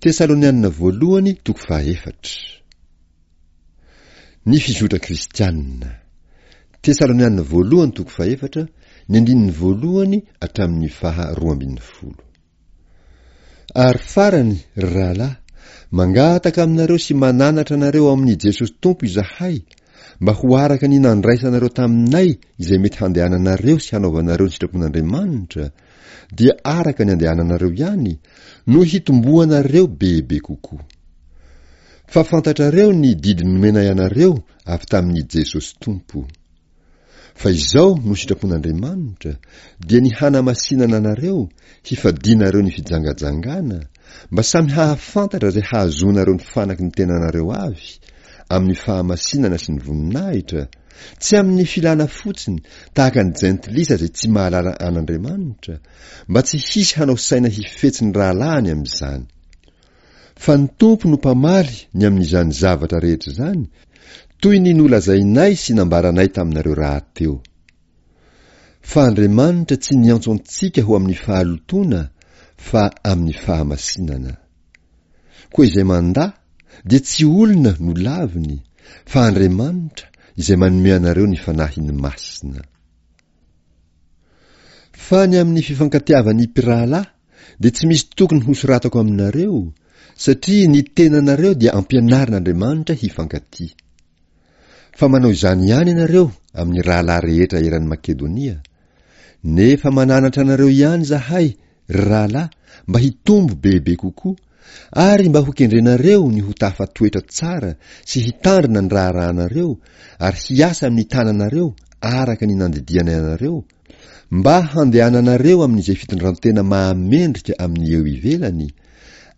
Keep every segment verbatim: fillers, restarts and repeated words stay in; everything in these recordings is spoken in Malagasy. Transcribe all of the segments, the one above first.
Tesalonianina voalohany toko fahaefatra. Ny fizotra kristianina. Tesalonianina voalohany toko fahefatra, ny andininy voalohany hatramin'ny faha roa ambin'ny folo. Ary farany, ry rahalahy, mangataka aminareo sy mananatra anareo ao amin'i Jesosy Tompo izahay, mba ho araka ny nandraisanareo taminay izay mety handehananareo sy hanaovanareo ny sitrapon'Andriamanitra, dia araka ny andehananareo ihany no hitomboanareo bebe kokoa. Fa fantatrareo ny didy nomenay anareo avy tamin'i Jesosy Tompo. Fa izao no sitrapon'Andriamanitra, dia ny hanamasinana anareo, hifadianareo ny fijangajangana, mba samy hahafantatra izay hahazoanareo ny fanaky ny tenanareo avy, amin'ny fahamasinana sy ny voninahitra, tsy amin'ny filana fotsiny tahaka ny jentilisa izay tsy mahalala an'Andriamanitra, mba tsy hisy hanao saina hifetsy ny rahalahiny amin'izany. Fa ny Tompo no mpamaly ny amin'izany zavatra rehetra izany, toy ny nolazainay sy nambaranay taminareo rahateo. Fa Andriamanitra tsy niantso antsika ho amin'ny fahalotoana, fa amin'ny fahamasinana. Koa izay mandà dia tsy olona no laviny, fa Andriamanitra izay manome anareo ny Fanahiny Masina. Fa ny amin'ny fifankatiavan'ny mpirahalahy dia tsy misy tokony hosoratako aminareo, satria ny tenanareo dia ampianarin'Andriamanitra hifankatia. Fa manao izany ihany ianareo amin'ny rahalahy rehetra eran'i Makedonia. Nefa mananatra anareo ihany izahay, ry rahalahy, mba hitombo bebe kokoa, ary mba hokendrenareo ny ho tafatoetra tsara sy hitandrina ny raharahanareo ary hiasa amin'ny tananareo araka ny nandidianay anareo, mba handehananareo amin'izay fitondrantena mahamendrika amin'ny eo ivelany,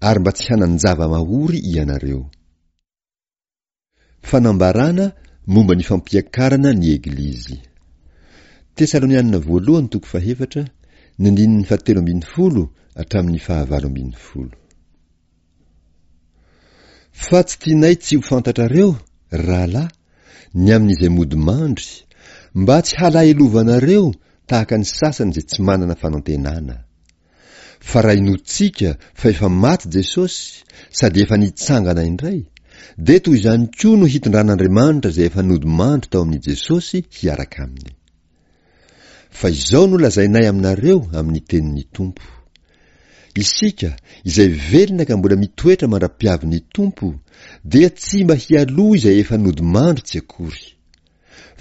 ary mba tsy hanan-java-mahory ianareo. Fanambarana momba ny fampiakarana ny Eglizy. Tesalonianina voalohany toko fahefatra, ny andininy fahatelo ambin'ny folo hatramin'ny fahavalo ambin'ny folo. Fa tsy tianay tsy ho fantatrareo, ry rahalahy, ny amin'izay mody mandry, mba tsy halahelovanareo tahaka ny sasany izay tsy manana fanantenana. Fa raha inoantsika fa efa maty Jesosy sady efa nitsangana indray, dia toy izany koa no hitondran'Andriamanitra izay efa nodimandry tao amin'i Jesosy hiaraka aminy. Fa izao no lazainay aminareo amin'ny tenin'ny Tompo, Isika, izay velona ka mbola mitoetra mandra-piavin'ny Tompo, dia tsy mba hialoha izay efa nodimandry tsy akory.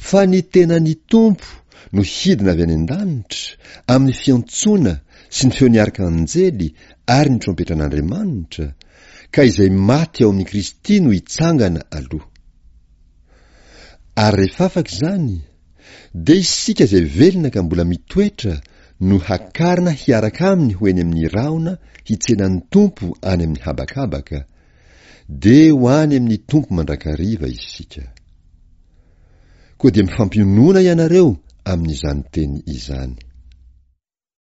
Fa ny tenan'ny Tompo no hidina avy any an-danitra, amin'ny fiantsoana sy ny feon'ny arkanjely ary ny trompetran'Andriamanitra, ka izay maty ao amin'i Kristy no hitsangana aloha. Ary rehefa afaka izany, dia isika izay velona ka mbola mitoetra no hakarina hiaraka aminy ho eny amin'ny rahona hitsena ny Tompo any amin'ny habakabaka, dia ho any amin'ny Tompo mandrakariva isika. Koa dia mifampionona ianareo amin'izany teny izany.